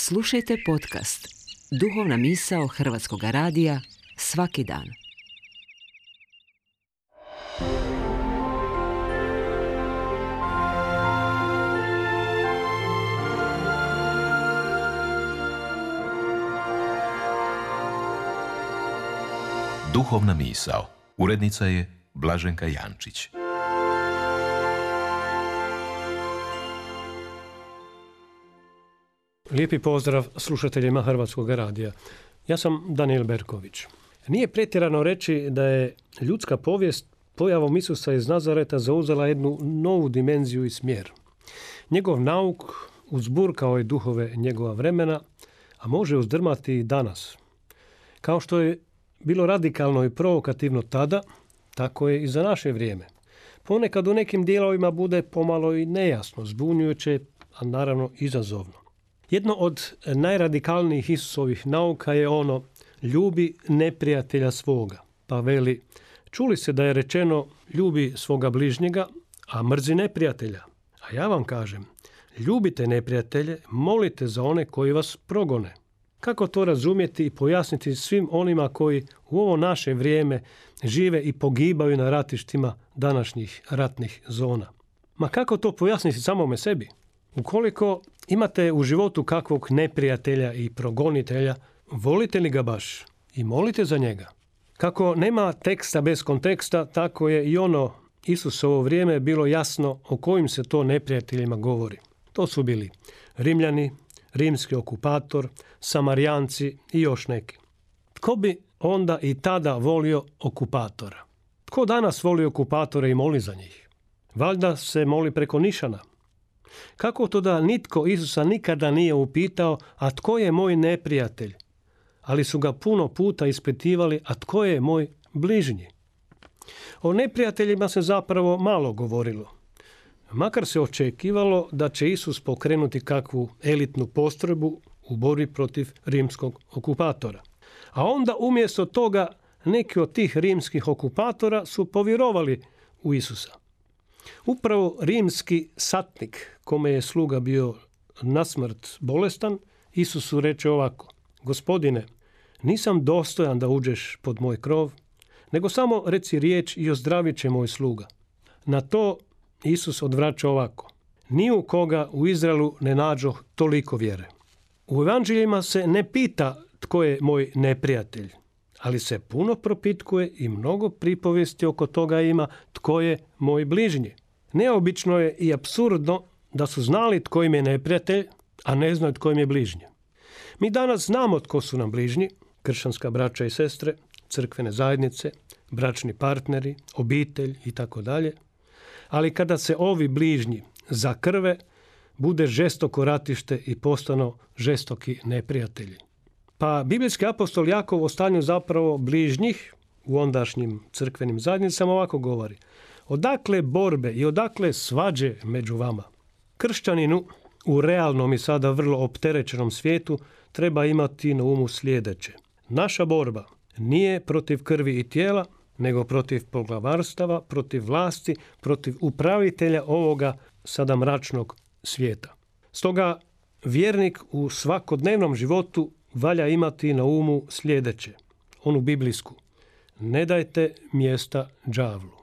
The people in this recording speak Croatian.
Slušajte podcast Duhovna misao Hrvatskog radija svaki dan. Duhovna misao. Urednica je Blaženka Jančić. Lijepi pozdrav slušateljima Hrvatskog radija. Ja sam Danijel Berković. Nije pretjerano reći da je ljudska povijest pojavom Isusa iz Nazareta zauzela jednu novu dimenziju i smjer. Njegov nauk uzburkao je duhove njegova vremena, a može uzdrmati i danas. Kao što je bilo radikalno i provokativno tada, tako je i za naše vrijeme. Ponekad u nekim dijelovima bude pomalo i nejasno, zbunjujuće, a naravno izazovno. Jedno od najradikalnijih Isusovih nauka je ono: ljubi neprijatelja svoga. Pa veli, čuli se da je rečeno ljubi svoga bližnjega, a mrzi neprijatelja. A ja vam kažem, ljubite neprijatelje, molite za one koji vas progone. Kako to razumjeti i pojasniti svim onima koji u ovo naše vrijeme žive i pogibaju na ratištima današnjih ratnih zona? Ma kako to pojasniti samome sebi? Ukoliko imate u životu kakvog neprijatelja i progonitelja, volite li ga baš i molite za njega? Kako nema teksta bez konteksta, tako je i ono Isusovo vrijeme bilo jasno o kojim se to neprijateljima govori. To su bili Rimljani, rimski okupator, Samarijanci i još neki. Tko bi onda i tada volio okupatora? Tko danas voli okupatore i moli za njih? Valjda se moli preko nišana. Kako to da nitko Isusa nikada nije upitao, a tko je moj neprijatelj? Ali su ga puno puta ispitivali, a tko je moj bližnji? O neprijateljima se zapravo malo govorilo. Makar se očekivalo da će Isus pokrenuti kakvu elitnu postrojbu u borbi protiv rimskog okupatora. A onda umjesto toga neki od tih rimskih okupatora su povjerovali u Isusa. Upravo rimski satnik, kome je sluga bio nasmrt bolestan, Isusu reče ovako: Gospodine, nisam dostojan da uđeš pod moj krov, nego samo reci riječ i ozdravit će moj sluga. Na to Isus odvraća ovako: ni u koga u Izraelu ne nađoh toliko vjere. U evanđeljima se ne pita tko je moj neprijatelj, ali se puno propitkuje i mnogo pripovijesti oko toga ima tko je moj bližnji. Neobično je i apsurdno da su znali tko im je neprijatelj, a ne znaju tko im je bližnji. Mi danas znamo tko su nam bližnji: kršćanska braća i sestre, crkvene zajednice, bračni partneri, obitelj itd. Ali kada se ovi bližnji zakrve, bude žestoko ratište i postanu žestoki neprijatelji. Pa biblijski apostol Jakov o stanju zapravo bližnjih u ondašnjim crkvenim zajednicama ovako govori: odakle borbe i odakle svađe među vama? Kršćaninu u realnom i sada vrlo opterećenom svijetu treba imati na umu sljedeće: naša borba nije protiv krvi i tijela, nego protiv poglavarstava, protiv vlasti, protiv upravitelja ovoga sada mračnog svijeta. Stoga vjernik u svakodnevnom životu valja imati na umu sljedeće, onu biblijsku: ne dajte mjesta đavlu.